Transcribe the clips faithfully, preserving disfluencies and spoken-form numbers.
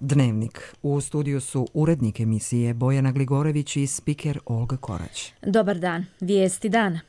Dnevnik. U studiju su urednik emisije Bojana Gligorević i spiker Olga Korać. Dobar dan. Vijesti dana.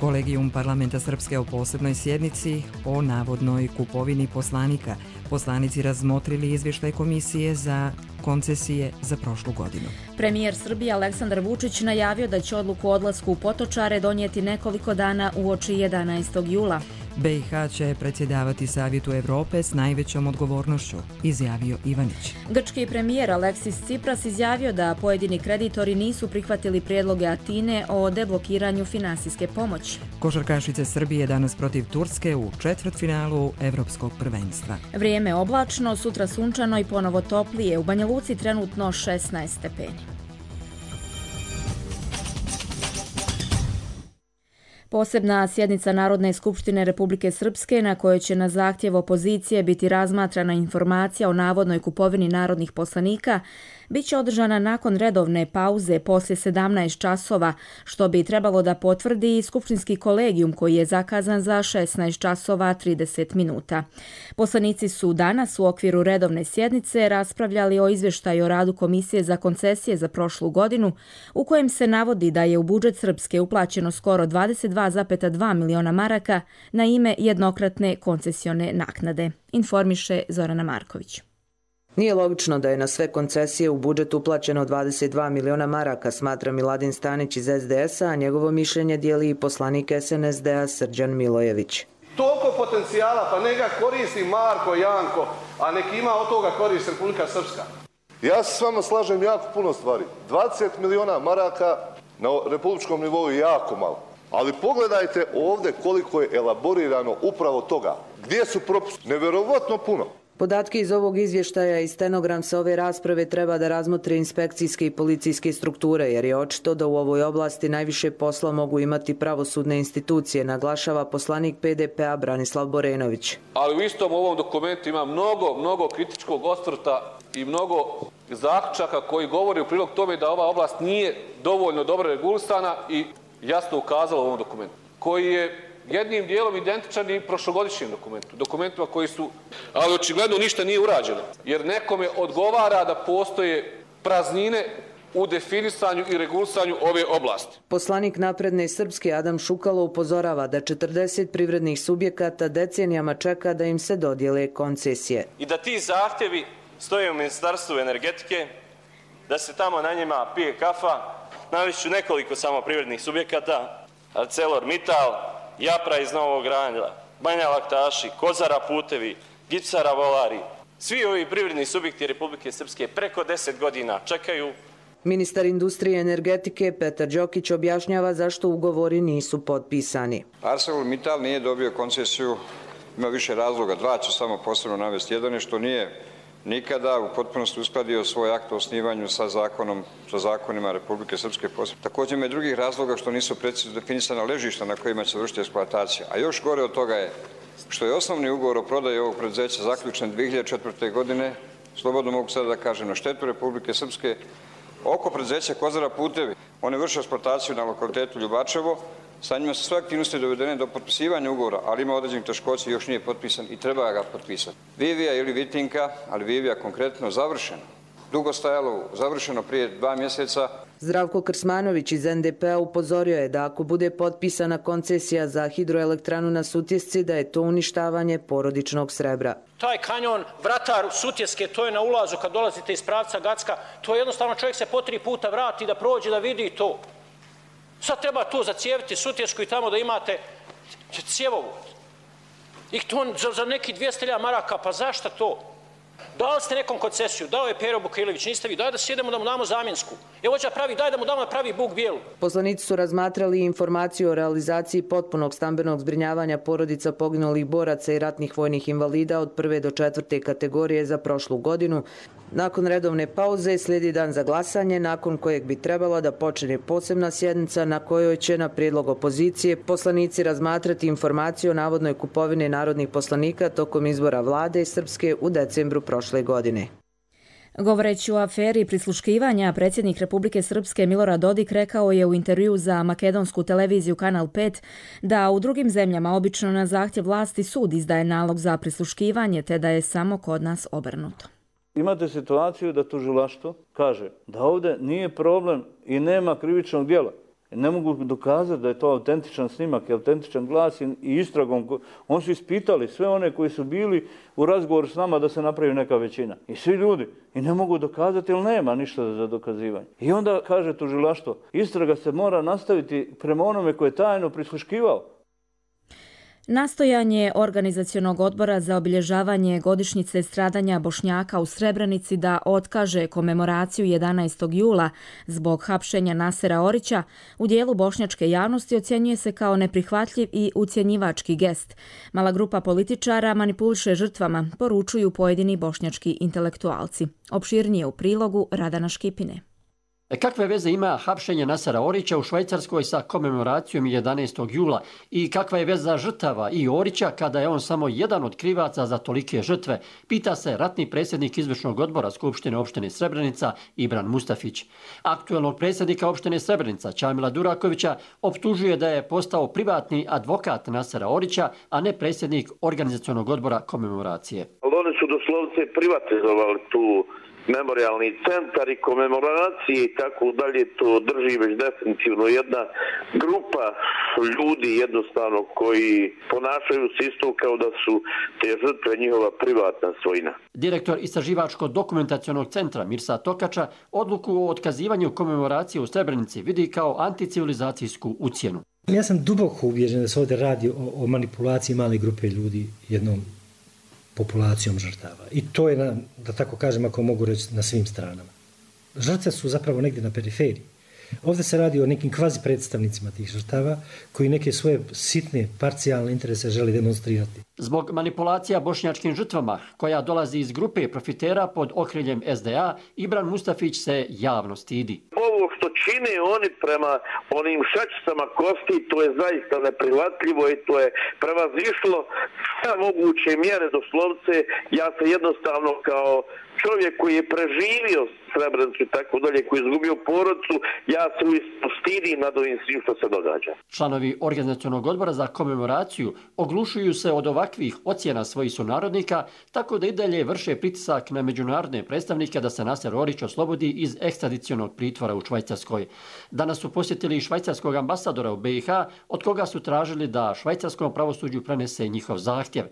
Kolegijum parlamenta Srpske o posebnoj sjednici o navodnoj kupovini poslanika. Poslanici razmotrili izvještaj komisije za koncesije za prošlu godinu. Premijer Srbije Aleksandar Vučić najavio da će odluku o odlasku u Potočare donijeti nekoliko dana uoči jedanaestog jula. B i H će predsjedavati Savjetu Evrope s najvećom odgovornošću, izjavio Ivanić. Grčki premijer Aleksis Tsipras izjavio da pojedini kreditori nisu prihvatili prijedloge Atine o deblokiranju finansijske pomoći. Košarkašice Srbije danas protiv Turske u četvrtfinalu Evropskog prvenstva. Vrijeme oblačno, sutra sunčano i ponovo toplije. U Banja Luci trenutno šesnaest stepeni. Posebna sjednica Narodne skupštine Republike Srpske na kojoj će na zahtjev opozicije biti razmatrana informacija o navodnoj kupovini narodnih poslanika bit će održana nakon redovne pauze poslije sedamnaest časova, što bi trebalo da potvrdi i skupštinski kolegijum koji je zakazan za šesnaest časova trideset minuta. Poslanici su danas u okviru redovne sjednice raspravljali o izvještaju o radu Komisije za koncesije za prošlu godinu, u kojem se navodi da je u budžet Srpske uplaćeno skoro dvadeset dva zarez dva miliona maraka na ime jednokratne koncesione naknade, informiše Zorana Marković. Nije logično da je na sve koncesije u budžet uplaćeno dvadeset dva miliona maraka, smatra Miladin Stanić iz S D S-a, a njegovo mišljenje dijeli i poslanik S N S D-a Srđan Milojević. Toliko potencijala, pa neka koristi Marko, Janko, a neki ima od toga koristi Republika Srpska. Ja se s vama slažem jako puno stvari. dvadeset miliona maraka na republičkom nivou je jako malo. Ali pogledajte ovdje koliko je elaborirano upravo toga. Gdje su propusti? Nevjerovatno puno. Podatke iz ovog izvještaja i stenogram sa ove rasprave treba da razmotre inspekcijske i policijske strukture, jer je očito da u ovoj oblasti najviše posla mogu imati pravosudne institucije, naglašava poslanik P D P-a Branislav Borenović. Ali u istom ovom dokumentu ima mnogo, mnogo kritičkog osvrta i mnogo zaključaka koji govori u prilog tome da ova oblast nije dovoljno dobro regulisana i jasno ukazala u ovom dokumentu, koji je jednim dijelom identičan i prošlogodišnjem dokumentu, dokumentima koji su, ali očigledno ništa nije urađeno, jer nekome odgovara da postoje praznine u definisanju i regulisanju ove oblasti. Poslanik Napredne Srpske Adam Šukalo upozorava da četrdeset privrednih subjekata decenijama čeka da im se dodijele koncesije. I da ti zahtjevi stoje u Ministarstvu energetike, da se tamo na njima pije kafa. Navešću nekoliko samo privrednih subjekata: ArcelorMittal, Japra iz Novog Granja, Banja Laktaši, Kozara putevi, Gipsara Volari. Svi ovi privredni subjekti Republike Srpske preko deset godina čekaju. Ministar industrije i energetike Petar Đokić objašnjava zašto ugovori nisu potpisani. ArcelorMittal nije dobio koncesiju, ima više razloga, dva ću samo posebno navesti. Jedan je što nije nikada u potpunosti uskladio svoj akt o osnivanju sa zakonom, sa zakonima Republike Srpske. Također ima i drugih razloga što nisu precizno definisana ležišta na kojima će se vršiti eksploatacija. A još gore od toga je što je osnovni ugovor o prodaji ovog preduzeća zaključen dvije hiljade četvrte. godine, slobodno mogu sada da kažem, na štetu Republike Srpske, oko preduzeća Kozara putevi. One vrše eksploataciju na lokalitetu Ljubačevo. Sa njima su sve aktivnosti dovedene do potpisivanja ugovora, ali ima određenih teškoća i još nije potpisan i treba ga potpisati. Vivija ili Vitinka, ali Vivija konkretno završeno. Dugo stajalo, završeno prije dva mjeseca. Zdravko Krsmanović iz N D P-a upozorio je da ako bude potpisana koncesija za hidroelektranu na Sutjesci, da je to uništavanje porodičnog srebra. Taj kanjon Vratar Sutjeske, to je na ulazu kad dolazite iz pravca Gacka, to je jednostavno čovjek se po tri puta vrati da prođe da vidi to. Sad treba tu zacijeviti Sutjesku i tamo da imate cjevovod. I to za, za neki dvjesto hiljada maraka, pa zašto to? Dali ste nekom koncesiju, dao je Pero Bukailović, niste vi, daj da sjedemo da mu damo zamjensku. Evo će pravi, daj da mu damo da pravi Buk bijelu. Poslanici su razmatrali informaciju o realizaciji potpunog stambenog zbrinjavanja porodica poginulih boraca i ratnih vojnih invalida od prve do četvrte kategorije za prošlu godinu. Nakon redovne pauze slijedi dan za glasanje, nakon kojeg bi trebalo da počne posebna sjednica na kojoj će na prijedlog opozicije poslanici razmatrati informaciju o navodnoj kupovini narodnih poslanika tokom izbora vlade Srpske u decembru prošle godine. Govoreći o aferi prisluškivanja, predsjednik Republike Srpske Milorad Dodik rekao je u intervju za makedonsku televiziju Kanal pet da u drugim zemljama obično na zahtjev vlasti sud izdaje nalog za prisluškivanje, te da je samo kod nas obrnuto. Imate situaciju da tužilaštvo kaže da ovdje nije problem i nema krivičnog djela. Ne mogu dokazati da je to autentičan snimak i autentičan glas i istragom. Oni su ispitali sve one koji su bili u razgovoru s nama da se napravi neka većina. I svi ljudi. I ne mogu dokazati jer nema ništa za dokazivanje. I onda kaže tužilaštvo, istraga se mora nastaviti prema onome koje je tajno prisluškivao. Nastojanje Organizacionog odbora za obilježavanje godišnjice stradanja Bošnjaka u Srebrenici da otkaže komemoraciju jedanaestog jula zbog hapšenja Nasera Orića u dijelu bošnjačke javnosti ocjenjuje se kao neprihvatljiv i ucjenjivački gest. Mala grupa političara manipuliše žrtvama, poručuju pojedini bošnjački intelektualci. Opširnije u prilogu Radana Škipine. Kakve veze ima hapšenje Nasera Orića u Švajcarskoj sa komemoracijom jedanaestog jula i kakva je veza žrtava i Orića kada je on samo jedan od krivaca za tolike žrtve, pita se ratni predsjednik izvršnog odbora Skupštine opštine Srebrenica Ibran Mustafić. Aktuelnog predsjednika opštine Srebrenica Čamila Durakovića optužuje da je postao privatni advokat Nasera Orića, a ne predsjednik Organizacionog odbora komemoracije. Oni su doslovce privatizovali tu memorialni centar i komemoracije i tako dalje, to drži već definitivno jedna grupa ljudi jednostavno koji ponašaju se isto kao da su te žrtve njihova privatna svojina. Direktor Istraživačko-dokumentacionog centra Mirsa Tokača odluku o otkazivanju komemoracije u Srebrenici vidi kao anticivilizacijsku ucjenu. Ja sam duboko uvježen da se ovdje radi o, o manipulaciji male grupe ljudi jednom populacijom žrtava. I to je, na, da tako kažem, ako mogu reći, na svim stranama. Žrtve su zapravo negdje na periferiji. Ovdje se radi o nekim kvazi predstavnicima tih žrtava koji neke svoje sitne, parcijalne interese želi demonstrirati. Zbog manipulacija bošnjačkim žrtvama, koja dolazi iz grupe profitera pod okriljem S D A, Ibran Mustafić se javno stidi. Ovo što čine oni prema onim šačicama kosti, to je zaista neprihvatljivo i to je prevazišlo sve moguće mjere doslovce. Ja se jednostavno kao čovjek koji je preživio Srebrenicu i tako dalje, koji je izgubio porodicu, ja se uistinu stidim nad ovim svim što se događa. Članovi Organizacionog odbora za komemoraciju oglušuju se od ovakvih ocjena svojih sunarodnika, tako da i dalje vrše pritisak na međunarodne predstavnike da se Naser Orić oslobodi iz ekstradicionog pritvora u Švajcarskoj. Danas su posjetili švajcarskog ambasadora u B i H, od koga su tražili da švajcarskom pravosuđu prenese njihov zahtjev.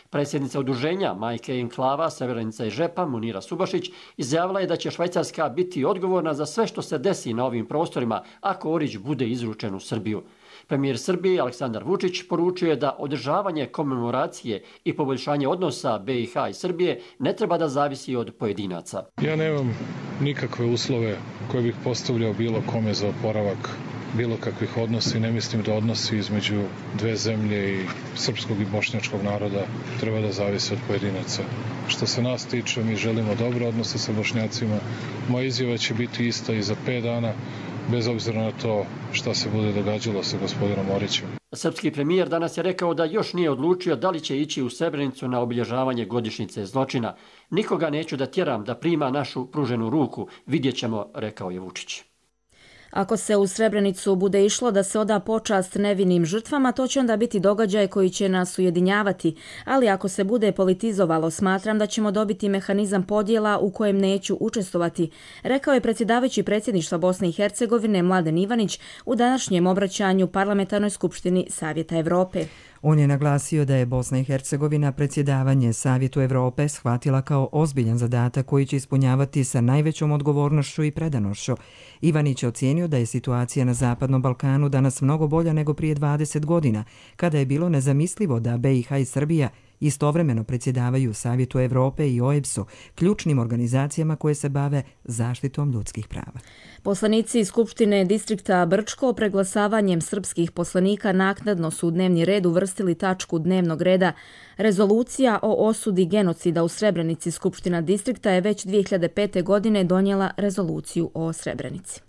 Predsjednica udruženja Majke Enklava, Srebrenica i Žepa, Munira Subašić, izjavila je da će Švajcarska biti odgovorna za sve što se desi na ovim prostorima ako Orić bude izručen u Srbiju. Premijer Srbije Aleksandar Vučić poručuje da održavanje komemoracije i poboljšanje odnosa B i H i Srbije ne treba da zavisi od pojedinaca. Ja nemam nikakve uslove koje bih postavljao bilo kome za oporavak bilo kakvih odnosa i ne mislim da odnosi između dve zemlje i srpskog i bošnjačkog naroda treba da zavise od pojedinaca. Što se nas tiče, mi želimo dobre odnose sa Bošnjacima. Moja izjava će biti ista i za pet dana, bez obzira na to šta se bude događalo sa gospodinom Orićem. Srpski premijer danas je rekao da još nije odlučio da li će ići u Srebrenicu na obilježavanje godišnjice zločina. Nikoga neću da tjeram da prima našu pruženu ruku, vidjet ćemo, rekao je Vučić. Ako se u Srebrenicu bude išlo da se oda počast nevinim žrtvama, to će onda biti događaj koji će nas ujedinjavati, ali ako se bude politizovalo, smatram da ćemo dobiti mehanizam podjela u kojem neću učestvovati, rekao je predsjedavajući predsjedništva Bosne i Hercegovine Mladen Ivanić u današnjem obraćanju Parlamentarnoj skupštini Savjeta Evrope. On je naglasio da je Bosna i Hercegovina predsjedavanje Savjetu Evrope shvatila kao ozbiljan zadatak koji će ispunjavati sa najvećom odgovornošću i predanošću. Ivanić je ocijenio da je situacija na Zapadnom Balkanu danas mnogo bolja nego prije dvadeset godina, kada je bilo nezamislivo da B i H i Srbija istovremeno predsjedavaju Savjetu Evrope i O E B S-u, ključnim organizacijama koje se bave zaštitom ljudskih prava. Poslanici Skupštine distrikta Brčko preglasavanjem srpskih poslanika naknadno su u dnevni red uvrstili tačku dnevnog reda. Rezolucija o osudi genocida u Srebrenici. Skupština distrikta je već dvije hiljade pete. godine donijela rezoluciju o Srebrenici.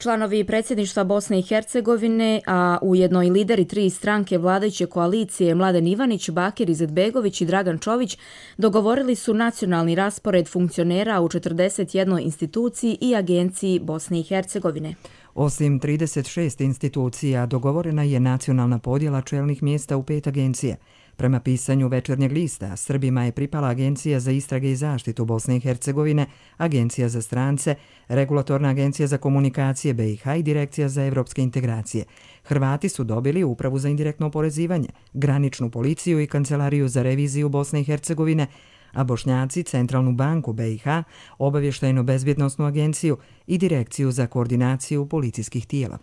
Članovi predsjedništva Bosne i Hercegovine, a ujedno i lideri tri stranke vladajuće koalicije Mladen Ivanić, Bakir Izetbegović i Dragan Čović dogovorili su nacionalni raspored funkcionera u četrdeset jednoj instituciji i agenciji Bosne i Hercegovine. Osim trideset šest institucija, dogovorena je nacionalna podjela čelnih mjesta u pet agencija. Prema pisanju Večernjeg lista, Srbima je pripala Agencija za istrage i zaštitu Bosne i Hercegovine, Agencija za strance, Regulatorna agencija za komunikacije B i H i Direkcija za evropske integracije. Hrvati su dobili Upravu za indirektno oporezivanje, Graničnu policiju i Kancelariju za reviziju Bosne i Hercegovine, a Bošnjaci Centralnu banku B i H, Obavještajno-bezbjednosnu agenciju i Direkciju za koordinaciju policijskih tijela.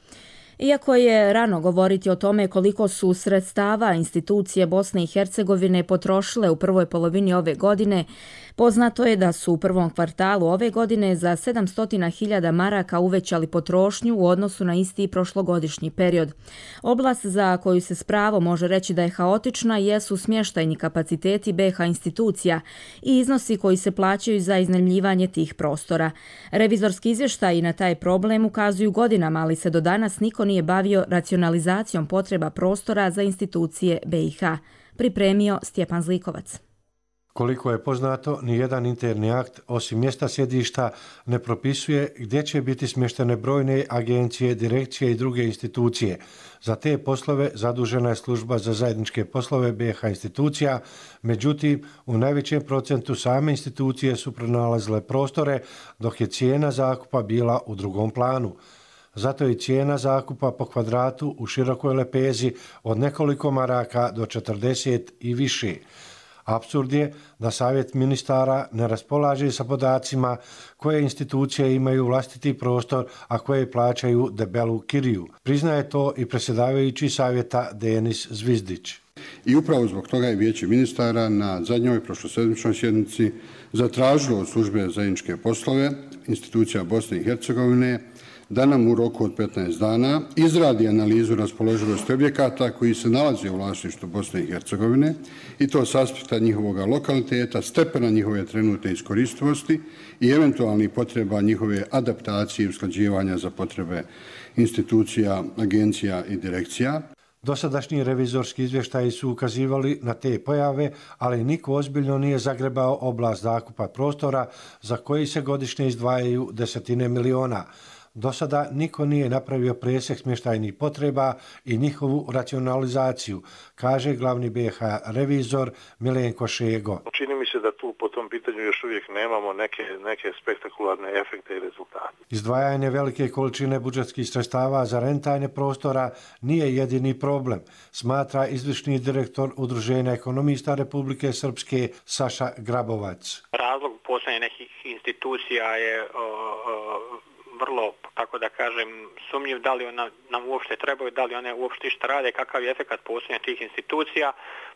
Iako je rano govoriti o tome koliko su sredstava institucije Bosne i Hercegovine potrošile u prvoj polovini ove godine, poznato je da su u prvom kvartalu ove godine za sedamsto hiljada maraka uvećali potrošnju u odnosu na isti prošlogodišnji period. Oblast za koju se s pravom može reći da je haotična jesu smještajni kapaciteti B H institucija i iznosi koji se plaćaju za iznajmljivanje tih prostora. Revizorski izvještaji na taj problem ukazuju godinama, ali se do danas niko nije bavio racionalizacijom potreba prostora za institucije B i H. Pripremio Stjepan Zlikovac. Koliko je poznato, nijedan interni akt, osim mjesta sjedišta, ne propisuje gdje će biti smještene brojne agencije, direkcije i druge institucije. Za te poslove zadužena je služba za zajedničke poslove B H institucija, međutim, u najvećem procentu same institucije su pronalazile prostore, dok je cijena zakupa bila u drugom planu. Zato je cijena zakupa po kvadratu u širokoj lepezi od nekoliko maraka do četrdeset i više. Apsurd je da Savjet ministara ne raspolaže sa podacima koje institucije imaju vlastiti prostor, a koje plaćaju debelu kiriju. Priznaje to i predsjedavajući savjeta Denis Zvizdić. I upravo zbog toga je Vijeće ministara na zadnjoj prošlosedmičnoj sjednici zatražilo od službe za zajedničke poslove institucija Bosne i Hercegovine da nam u roku od petnaest dana izradi analizu raspoloživosti objekata koji se nalaze u vlasništvu Bosne i Hercegovine i to s aspekta njihovog lokaliteta, stepena njihove trenutne iskoristivosti i eventualnih potreba njihove adaptacije i usklađivanja za potrebe institucija, agencija i direkcija. Dosadašnji revizorski izvještaji su ukazivali na te pojave, ali niko ozbiljno nije zagrebao oblast zakupa prostora za koji se godišnje izdvajaju desetine miliona. Do sada niko nije napravio presjek smještajnih potreba i njihovu racionalizaciju, kaže glavni B H revizor Milenko Šego. Čini mi se da tu po tom pitanju još uvijek nemamo neke, neke spektakularne efekte i rezultate. Izdvajanje velike količine budžetskih sredstava za rentajne prostora nije jedini problem, smatra izvršni direktor Udruženja ekonomista Republike Srpske Saša Grabovac. Razlog postojanja nekih institucija je o, o, vrlo, tako da kažem, sumnjiv da li ona, nam uopšte trebaju, da li one uopšte šta rade, kakav je efekat postojanja tih institucija,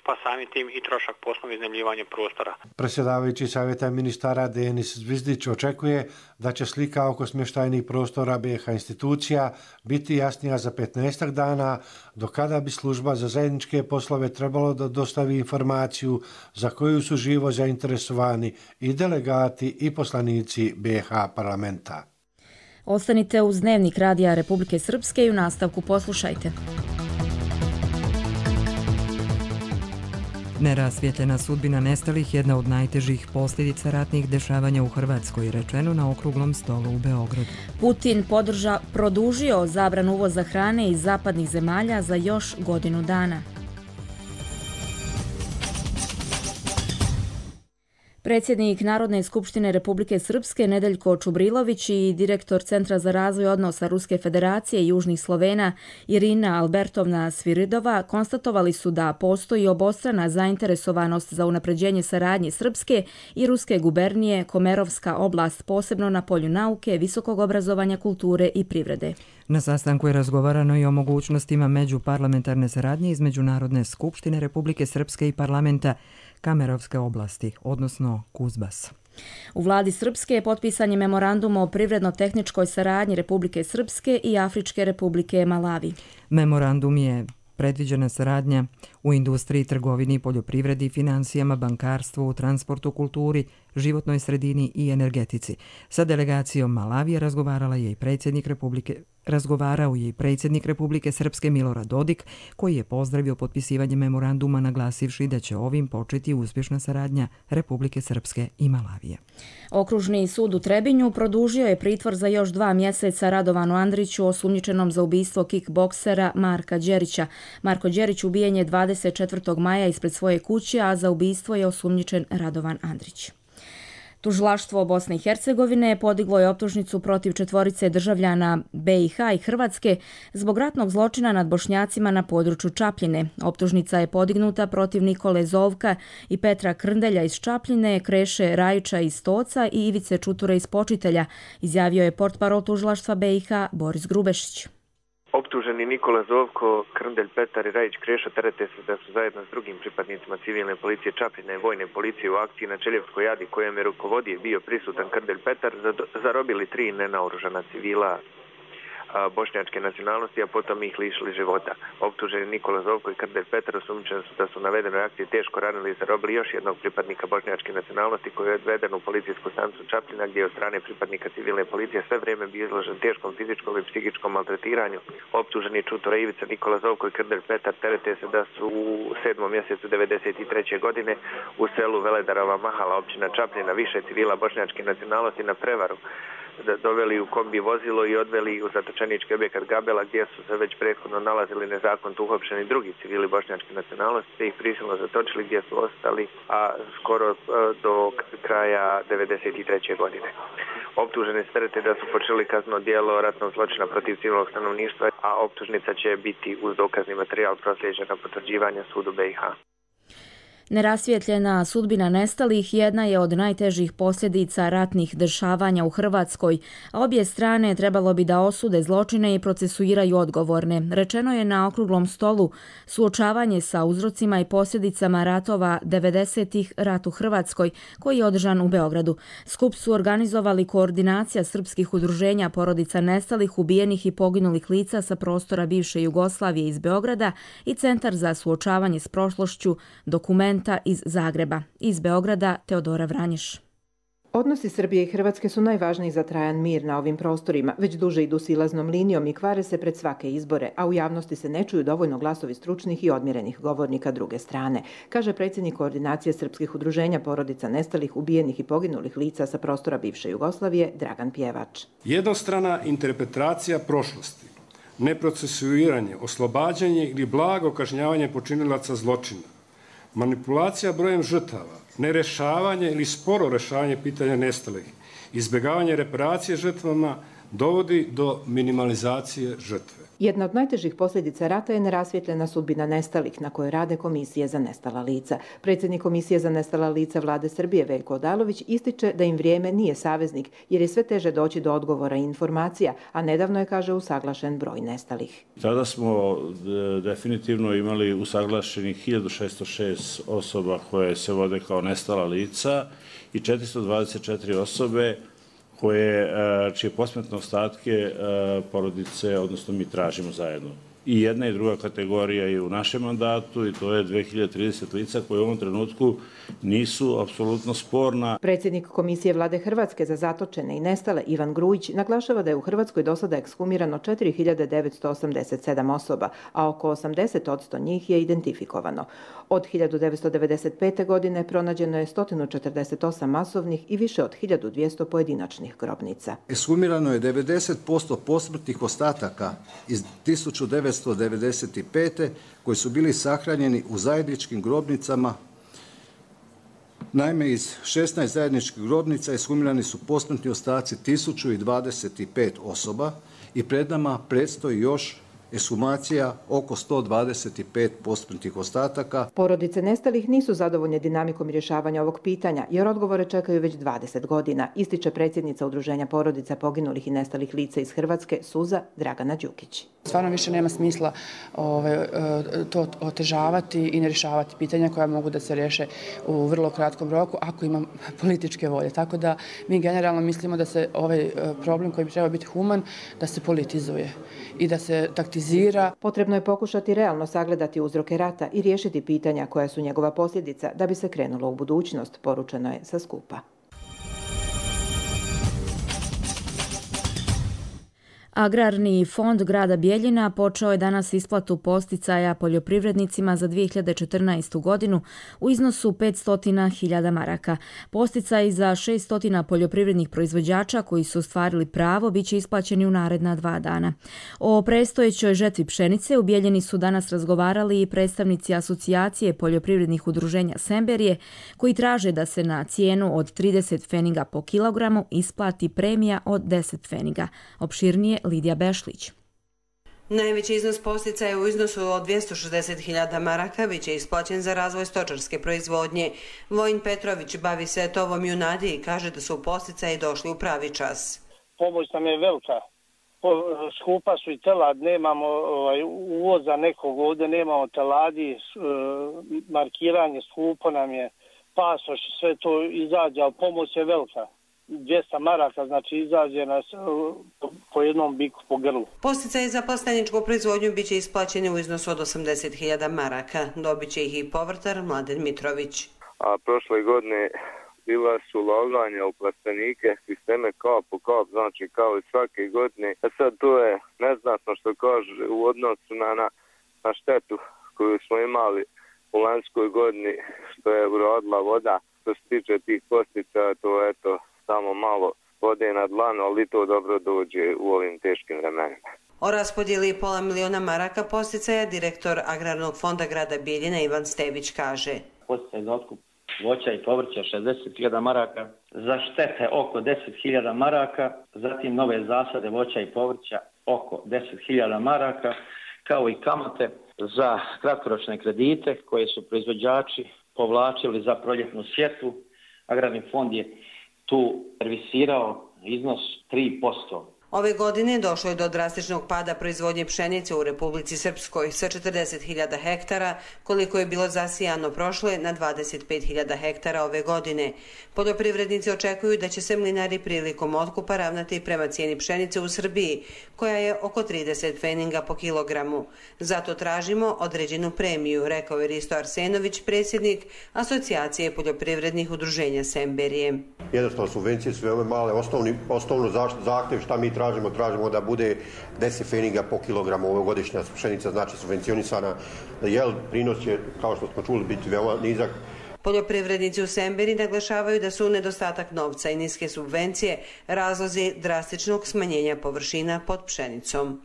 pa samim tim i trošak poslovnog iznajmljivanja prostora. Predsjedavajući savjeta ministara Denis Zvizdić očekuje da će slika oko smještajnih prostora B H institucija biti jasnija za petnaestak dana, do kada bi služba za zajedničke poslove trebalo da dostavi informaciju za koju su živo zainteresovani i delegati i poslanici B H parlamenta. Ostanite uz Dnevnik Radija Republike Srpske i u nastavku poslušajte. Nerasvjetljena sudbina nestalih jedna od najtežih posljedica ratnih dešavanja u Hrvatskoj, rečeno na okruglom stolu u Beogradu. Putin podrža, produžio zabranu uvoza hrane iz zapadnih zemalja za još godinu dana. Predsjednik Narodne skupštine Republike Srpske Nedeljko Čubrilović i direktor Centra za razvoj odnosa Ruske federacije i Južnih Slovena Irina Albertovna Sviridova konstatovali su da postoji obostrana zainteresovanost za unapređenje saradnje Srpske i Ruske gubernije Komerovska oblast, posebno na polju nauke, visokog obrazovanja, kulture i privrede. Na sastanku je razgovarano i o mogućnostima međuparlamentarne saradnje između Narodne skupštine Republike Srpske i parlamenta Kamerovske oblasti, odnosno Kuzbas. U vladi Srpske je potpisan je memorandum o privredno-tehničkoj saradnji Republike Srpske i Afričke republike Malavi. Memorandum je predviđena saradnja u industriji, trgovini, poljoprivredi, financijama, bankarstvu, transportu, kulturi, životnoj sredini i energetici. Sa delegacijom Malavije razgovarala je i predsjednik Republike Razgovarao je i predsjednik Republike Srpske Milorad Dodik, koji je pozdravio potpisivanje memoranduma naglasivši da će ovim početi uspješna saradnja Republike Srpske i Malavije. Okružni sud u Trebinju produžio je pritvor za još dva mjeseca Radovanu Andriću, osumnjičenom za ubistvo kickboksera Marka Đerića. Marko Đerić ubijen je dvadeset četvrtog maja ispred svoje kuće, a za ubistvo je osumnjičen Radovan Andrić. Tužilaštvo Bosne i Hercegovine podiglo je optužnicu protiv četvorice državljana B i H i Hrvatske zbog ratnog zločina nad Bošnjacima na području Čapljine. Optužnica je podignuta protiv Nikole Zovka i Petra Krndelja iz Čapljine, Kreše Rajića iz Stoca i Ivice Čuture iz Počitelja, izjavio je portparol tužilaštva B i H Boris Grubešić. Optuženi Nikola Zovko, Krndelj, Petar i Rajić Kreša terete se da su zajedno s drugim pripadnicima civilne policije Čapljine i vojne policije u akciji na Čeljevskoj jadi kojem je rukovodio bio prisutan Krndelj Petar zarobili tri nenaoružana civila bošnjačke nacionalnosti, a potom ih lišili života. Optuženi Nikola Zovko i Krndelj Petar osumnjičeni su da su u navedenoj akciji teško ranili i zarobili još jednog pripadnika bošnjačke nacionalnosti koji je odveden u policijsku stanicu Čapljina, gdje je od strane pripadnika civilne policije sve vrijeme bio izložen teškom fizičkom i psihičkom maltretiranju. Optuženi Čutura Ivica, Nikola Zovko i Krndelj Petar terete se da su u sedmom mjesecu devedeset treće godine u selu Veledarova Mahala, općina Čapljina, više civila bošnjačke nacionalnosti na prevaru doveli u kombi vozilo i odveli u zatočenički objekat Gabela, gdje su se već prethodno nalazili nezakonito uhapšeni drugi civili bošnjačke nacionalnosti, te ih prisilno zatočili gdje su ostali, a skoro do kraja devedeset treće godine. Optuženi se terete da su počeli kazneno djelo ratnog zločina protiv civilnog stanovništva, a optužnica će biti uz dokazni materijal proslijeđena potvrđivanja sudu B i H. Nerasvjetljena sudbina nestalih jedna je od najtežih posljedica ratnih dešavanja u Hrvatskoj, a obje strane trebalo bi da osude zločine i procesuiraju odgovorne. Rečeno je na okruglom stolu suočavanje sa uzrocima i posljedicama ratova devedesetih rat u Hrvatskoj, koji je održan u Beogradu. Skup su organizovali Koordinacija srpskih udruženja porodica nestalih, ubijenih i poginulih lica sa prostora bivše Jugoslavije iz Beograda i Centar za suočavanje s prošlošću Dokument iz Zagreba. Iz Beograda Teodora Vranješ. Odnosi Srbije i Hrvatske su najvažniji za trajan mir na ovim prostorima. Već duže idu silaznom linijom i kvare se pred svake izbore, a u javnosti se ne čuju dovoljno glasovi stručnih i odmjerenih govornika druge strane, kaže predsjednik Koordinacije srpskih udruženja porodica nestalih, ubijenih i poginulih lica sa prostora bivše Jugoslavije Dragan Pjevač. Jednostrana interpretacija prošlosti, neprocesuiranje, oslobađanje ili blago kažnjavanje počinilaca zločina, manipulacija brojem žrtava, nerešavanje ili sporo rešavanje pitanja nestalih, izbjegavanje reparacije žrtvama dovodi do minimalizacije žrtve. Jedna od najtežih posljedica rata je nerasvjetljena sudbina nestalih, na kojoj rade komisije za nestala lica. Predsjednik Komisije za nestala lica Vlade Srbije Veljko Odalović ističe da im vrijeme nije saveznik, jer je sve teže doći do odgovora i informacija, a nedavno je, kaže, usaglašen broj nestalih. Tada smo definitivno imali usaglašenih hiljadu šesto šest osoba koje se vode kao nestala lica i četiristo dvadeset četiri osobe koje, čije posmrtne ostatke porodice, odnosno mi tražimo zajedno. I jedna i druga kategorija je u našem mandatu i to je dve hiljade trideset lica koje u ovom trenutku nisu apsolutno sporna. Predsjednik Komisije Vlade Hrvatske za zatočene i nestale Ivan Grujić naglašava da je u Hrvatskoj do sada ekshumirano četiri hiljade devetsto osamdeset sedam osoba, a oko osamdeset posto njih je identifikovano. Od hiljadu devetsto devedeset pete. godine pronađeno je sto četrdeset osam masovnih i više od hiljadu dvjesto pojedinačnih grobnica. Ekshumirano je devedeset posto posmrtnih ostataka iz tisuću devetsto devedeset pete. koji su bili sahranjeni u zajedničkim grobnicama. Naime, iz šesnaest zajedničkih grobnica ekshumirani su posmrtni ostaci tisuću dvadeset pet osoba i pred nama predstoji još ekshumacija oko sto dvadeset pet posmrtnih ostataka. Porodice nestalih nisu zadovoljne dinamikom rješavanja ovog pitanja, jer odgovore čekaju već dvadeset godina, ističe predsjednica Udruženja porodica poginulih i nestalih lica iz Hrvatske, Suza Dragana Đukić. Stvarno više nema smisla ove, to otežavati i ne rješavati pitanja koja mogu da se riješe u vrlo kratkom roku ako ima političke volje. Tako da mi generalno mislimo da se ovaj problem koji bi trebao biti human, da se politizuje i da se taktizuje politizira. Potrebno je pokušati realno sagledati uzroke rata i riješiti pitanja koja su njegova posljedica da bi se krenulo u budućnost, poručeno je sa skupa. Agrarni fond grada Bijeljina počeo je danas isplatu posticaja poljoprivrednicima za dvije hiljade četrnaestu. godinu u iznosu petsto hiljada maraka. Posticaji za šesto poljoprivrednih proizvođača koji su ostvarili pravo bit će isplaćeni u naredna dva dana. O predstojećoj žetvi pšenice u Bijeljini su danas razgovarali i predstavnici asocijacije poljoprivrednih udruženja Semberije, koji traže da se na cijenu od trideset pfeniga po kilogramu isplati premija od deset pfeniga. Opširnije Lidija Bešlić. Najveći iznos posticaja u iznosu od dvjesto šezdeset hiljada maraka bit će isplaćen za razvoj stočarske proizvodnje. Vojin Petrović bavi se tovom i u nadi i kaže da su posticaji došli u pravi čas. Pomoć nam je velika. Skupa su i telad, nemamo ovaj, uvoza nekog ovdje, nemamo teladi, markiranje skupo nam je, pasoš, sve to izađe, ali pomoć je velika. dvjesto maraka, znači izađe nas po jednom biku po grlu. Posticaji za plasteničku proizvodnju bit će isplaćeni u iznosu od osamdeset hiljada maraka. Dobit će ih i povrtar Mladen Mitrović. A prošle godine bila su ulaganja u plastenike, sisteme kap po kap, znači kao i svake godine. A sad to je neznatno što kaže u odnosu na, na, na štetu koju smo imali u lanjskoj godini, što je urodila voda. Što se tiče tih posticaja, to je eto samo malo vode na dlanu, ali to dobro dođe u ovim teškim vremenima. O raspodjeli pola miliona maraka posticaja direktor Agrarnog fonda grada Bijeljina Ivan Stević kaže. Posticaj za otkup voća i povrća šezdeset hiljada maraka, za štete oko deset hiljada maraka, zatim nove zasade voća i povrća oko deset hiljada maraka, kao i kamate za kratkoročne kredite koje su proizvođači povlačili za proljetnu sjetvu. Agrarni fond je tu servisirao iznos tri posto. Ove godine došlo je do drastičnog pada proizvodnje pšenice u Republici Srpskoj sa četrdeset hiljada hektara, koliko je bilo zasijano prošle, na dvadeset pet hiljada hektara ove godine. Poljoprivrednici očekuju da će se mlinari prilikom otkupa ravnati prema cijeni pšenice u Srbiji, koja je oko trideset pfeninga po kilogramu. Zato tražimo određenu premiju, rekao je Risto Arsenović, predsjednik Asocijacije poljoprivrednih udruženja Semberije. Jednostavno subvencije su veoma male, osnovni, osnovno zahtev šta mi tražimo, tražimo da bude deset pfeniga po kilogramu ovogodišnja pšenica, znači subvencionisana, jel prinos će, kao što smo čuli, biti veoma nizak. Poljoprivrednici u Semberi naglašavaju da su nedostatak novca i niske subvencije razlozi drastičnog smanjenja površina pod pšenicom.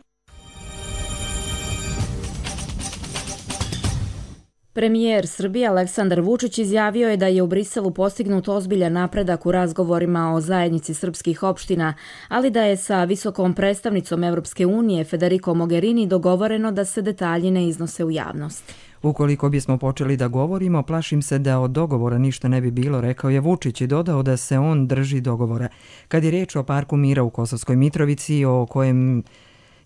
Premijer Srbije Aleksandar Vučić izjavio je da je u Briselu postignut ozbiljan napredak u razgovorima o zajednici srpskih opština, ali da je sa visokom predstavnicom Evropske unije Federico Mogherini dogovoreno da se detalji ne iznose u javnost. Ukoliko bismo počeli da govorimo, plašim se da od dogovora ništa ne bi bilo, rekao je Vučić i dodao da se on drži dogovora. Kad je riječ o Parku mira u Kosovskoj Mitrovici, o kojem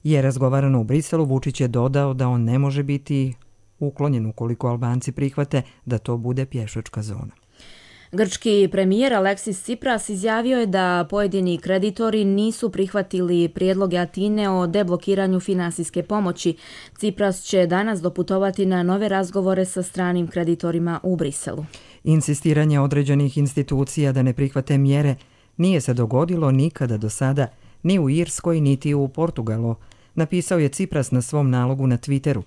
je razgovarano u Briselu, Vučić je dodao da on ne može biti uklonjen ukoliko Albanci prihvate da to bude pješačka zona. Grčki premijer Aleksis Tsipras izjavio je da pojedini kreditori nisu prihvatili prijedloge Atine o deblokiranju finansijske pomoći. Tsipras će danas doputovati na nove razgovore sa stranim kreditorima u Briselu. Insistiranje određenih institucija da ne prihvate mjere nije se dogodilo nikada do sada, ni u Irskoj, niti u Portugalu, napisao je Tsipras na svom nalogu na Twitteru.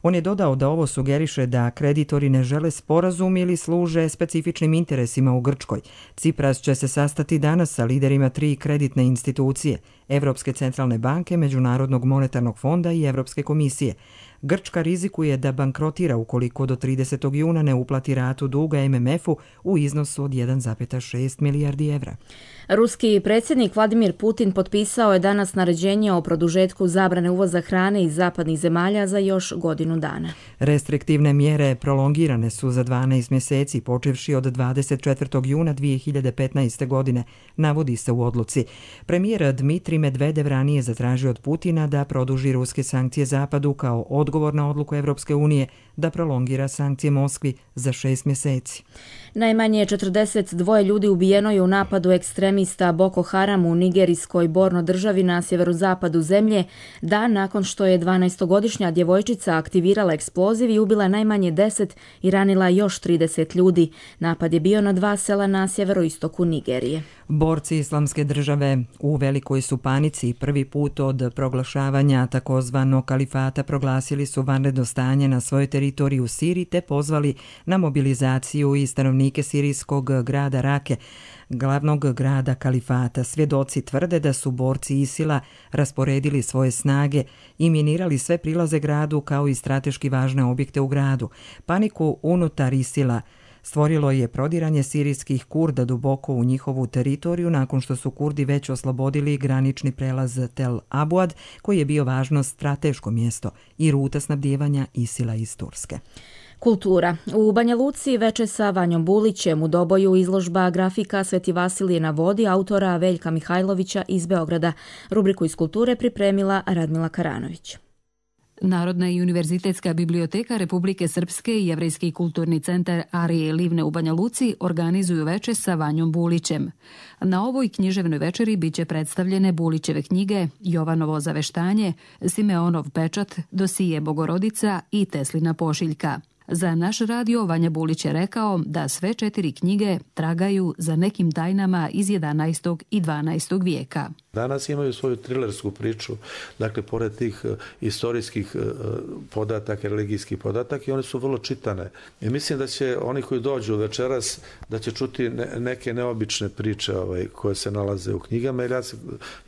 On je dodao da ovo sugeriše da kreditori ne žele sporazum ili služe specifičnim interesima u Grčkoj. Tsipras će se sastati danas sa liderima tri kreditne institucije, Evropske centralne banke, Međunarodnog monetarnog fonda i Evropske komisije. Grčka rizikuje da bankrotira ukoliko do tridesetog juna ne uplati ratu duga em em efu u iznosu od jedan zarez šest milijardi evra. Ruski predsjednik Vladimir Putin potpisao je danas naređenje o produžetku zabrane uvoza hrane iz zapadnih zemalja za još godinu dana. Restriktivne mjere prolongirane su za dvanaest mjeseci, počevši od dvadeset četvrtog juna dvije hiljade petnaeste. godine, navodi se u odluci. Premijer Dmitrij Medvedev ranije zatražio od Putina da produži ruske sankcije Zapadu kao odgovor na odluku Evropske unije da prolongira sankcije Moskvi za šest mjeseci. Najmanje četrdeset dva ljudi ubijeno je u napadu ekstremista Boko Haram u nigerijskoj Borno državi na sjeverozapadu zemlje, dan nakon što je dvanaestogodišnja djevojčica aktivirala eksploziv i ubila najmanje deset i ranila još trideset ljudi. Napad je bio na dva sela na sjeveroistoku Nigerije. Borci Islamske države u velikoj su panici i prvi put od proglašavanja takozvanog kalifata proglasili su vanredno stanje na svojoj teritoriji u Siriji te pozvali na mobilizaciju i stanovnike sirijskog grada Rake, glavnog grada kalifata. Svjedoci tvrde da su borci Isila rasporedili svoje snage i minirali sve prilaze gradu kao i strateški važne objekte u gradu. Paniku unutar Isila stvorilo je prodiranje sirijskih Kurda duboko u njihovu teritoriju nakon što su Kurdi već oslobodili granični prelaz Tel Abuad, koji je bio važno strateško mjesto i ruta snabdijevanja Isila iz Turske. Kultura. U Banja Luci veče sa Vanjom Bulićem u Doboju izložba grafika Sveti Vasilije na vodi autora Veljka Mihajlovića iz Beograda. Rubriku iz kulture pripremila Radmila Karanović. Narodna i univerzitetska biblioteka Republike Srpske i Jevrejski kulturni centar Arije Livne u Banja Luci organizuju veče sa Vanjom Bulićem. Na ovoj književnoj večeri biće predstavljene Bulićeve knjige Jovanovo zaveštanje, Simeonov pečat, Dosije Bogorodica i Teslina pošiljka. Za naš radio Vanja Bulić je rekao da sve četiri knjige tragaju za nekim tajnama iz jedanaestog i dvanaestog vijeka. Danas imaju svoju trilersku priču, dakle, pored tih istorijskih podataka, religijskih podataka, i one su vrlo čitane. I mislim da će oni koji dođu večeras, da će čuti neke neobične priče ovaj, koje se nalaze u knjigama, jer ja,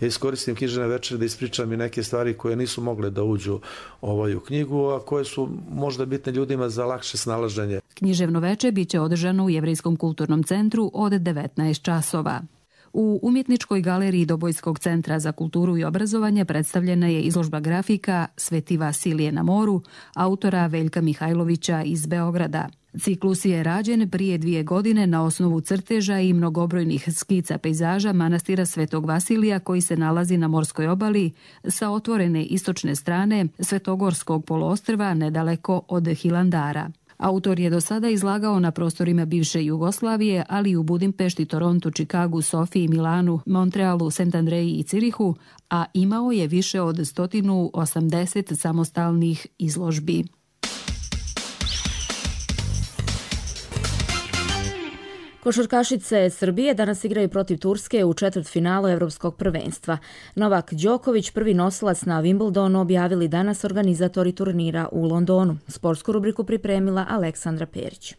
ja iskoristim književne večere da ispričam i neke stvari koje nisu mogle da uđu ovaj, u knjigu, a koje su možda bitne ljudima za lakše snalaženje. Književno veče biće održano u Jevrejskom kulturnom centru od devetnaest časova. U Umjetničkoj galeriji Dobojskog centra za kulturu i obrazovanje predstavljena je izložba grafika Sveti Vasilije na moru, autora Veljka Mihajlovića iz Beograda. Ciklus je rađen prije dvije godine na osnovu crteža i mnogobrojnih skica pejzaža manastira Svetog Vasilija koji se nalazi na morskoj obali sa otvorene istočne strane Svetogorskog poluostrva nedaleko od Hilandara. Autor je do sada izlagao na prostorima bivše Jugoslavije, ali i u Budimpešti, Torontu, Čikagu, Sofiji, Milanu, Montrealu, Sent Andreji i Cirihu, a imao je više od sto osamdeset samostalnih izložbi. Košarkašice Srbije danas igraju protiv Turske u četvrtfinalu Evropskog prvenstva. Novak Đoković, prvi nosilac na Wimbledonu, objavili danas organizatori turnira u Londonu. Sportsku rubriku pripremila Aleksandra Perić.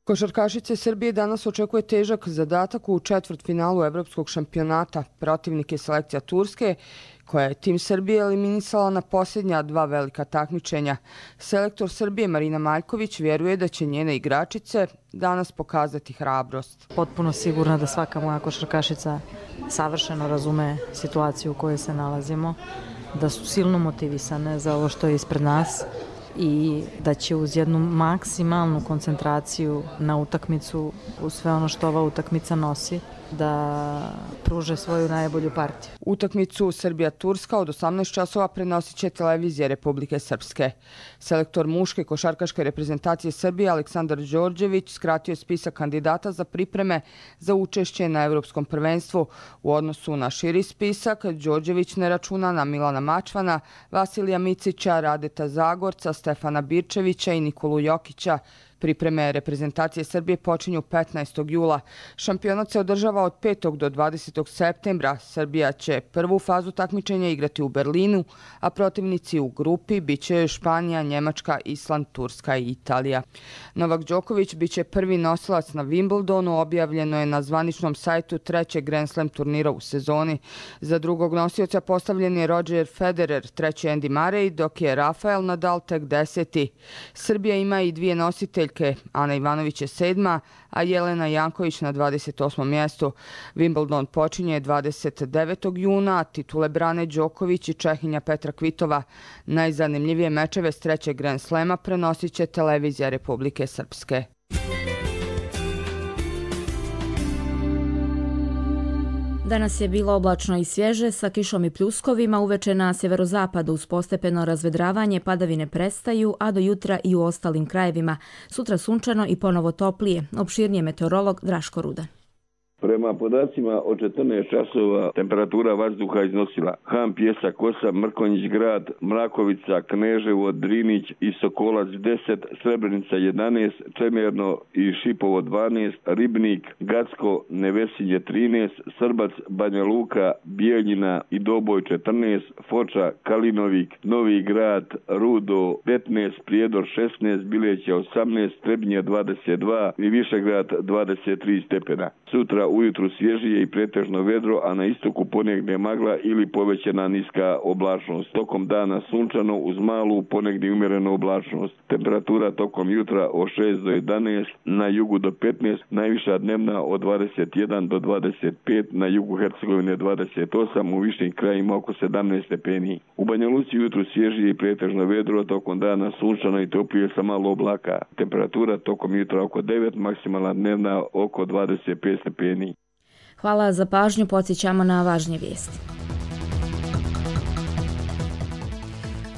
Košarkašice Srbije danas očekuje težak zadatak u četvrtfinalu Evropskog šampionata. Protivnik je selekcija Turske, koja je tim Srbije eliminisala na posljednja dva velika takmičenja. Selektor Srbije Marina Maljković vjeruje da će njene igračice danas pokazati hrabrost. Potpuno sigurna da svaka moja košarkašica savršeno razume situaciju u kojoj se nalazimo, da su silno motivisane za ovo što je ispred nas i da će uz jednu maksimalnu koncentraciju na utakmicu, u sve ono što ova utakmica nosi, da pruže svoju najbolju partiju. Utakmicu Srbija-Turska od osamnaest časova prenosit će televizija Republike Srpske. Selektor muške košarkaške reprezentacije Srbije Aleksandar Đorđević skratio je spisak kandidata za pripreme za učešće na Evropskom prvenstvu. U odnosu na širi spisak, Đorđević ne računa na Milana Mačvana, Vasilija Micića, Radeta Zagorca, Stefana Birčevića i Nikolu Jokića. Pripreme reprezentacije Srbije počinju petnaestog jula. Šampionat se održava od petog do dvadesetog septembra. Srbija će prvu fazu takmičenja igrati u Berlinu, a protivnici u grupi biće Španija, Njemačka, Island, Turska i Italija. Novak Đoković biće prvi nosilac na Wimbledonu, objavljeno je na zvaničnom sajtu trećeg Grand Slam turnira u sezoni. Za drugog nosioca postavljen je Roger Federer, treći Andy Murray, dok je Rafael Nadal tek deseti. Srbija ima i dvije nositeljke. Ana Ivanović je sedma, a Jelena Janković na dvadeset osmom mjestu. Wimbledon počinje dvadeset devetog juna, a titule brane Đoković i Čehinja Petra Kvitova. Najzanimljivije mečeve s trećeg Grand Slema prenosit će televizija Republike Danas je bilo oblačno i svježe sa kišom i pljuskovima, uveče na sjeverozapadu uz postepeno razvedravanje padavine prestaju, a do jutra i u ostalim krajevima. Sutra sunčano i ponovo toplije. Opširnije meteorolog Draško Rudan. Prema podacima od četrnaest časova temperatura vazduha iznosila Han, Pjesak osam, Mrkonjić grad, Mrakovica, Kneževo, Drinić i Sokolac deset, Srebrenica jedanaest, Čemerno i Šipovo dvanaest, Ribnik, Gacko, Nevesinje trinaest, Srbac, Banja Luka, Bijeljina i Doboj četrnaest, Foča, Kalinovik, Novi grad, Rudo petnaest, Prijedor šesnaest, Bileća osamnaest, Trebnje dvadeset dva i Višegrad dvadeset tri stepena. Sutra ujutru svježije i pretežno vedro, a na istoku ponegdje magla ili povećana niska oblačnost. Tokom dana sunčano uz malu ponegdje umjerenu oblačnost. Temperatura tokom jutra od šest do jedanaest, na jugu do petnaest, najviša dnevna od dvadeset jedan do dvadeset pet, na jugu Hercegovine dvadeset osam, u višim krajima oko sedamnaest stepeni. U Banja Luci jutru svježije i pretežno vedro, tokom dana sunčano i toplije sa malo oblaka. Temperatura tokom jutra oko devet, maksimalna dnevna oko dvadeset pet stepeni. Hvala za pažnju, podsjećamo na važnije vijesti.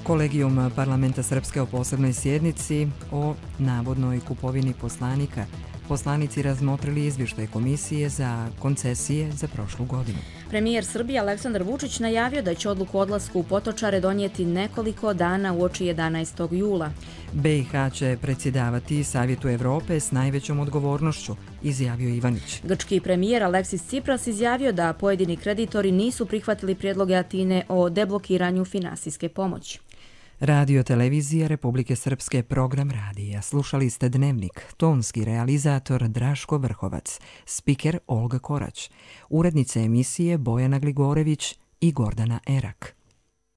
Kolegijum Parlamenta Srpske o posebnoj sjednici o navodnoj kupovini poslanika. Poslanici razmotrili izvještaj Komisije za koncesije za prošlu godinu. Premijer Srbije Aleksandar Vučić najavio da će odluku o odlasku u Potočare donijeti nekoliko dana uoči jedanaestog jula. B i H će predsjedavati Savjetu Evrope s najvećom odgovornošću, izjavio Ivanić. Grčki premijer Aleksis Tsipras izjavio da pojedini kreditori nisu prihvatili prijedloge Atine o deblokiranju finansijske pomoći. Radio televizija Republike Srpske, program radija. Slušali ste Dnevnik, tonski realizator Draško Vrhovac, spiker Olga Korać, urednice emisije Bojana Gligorević i Gordana Erak.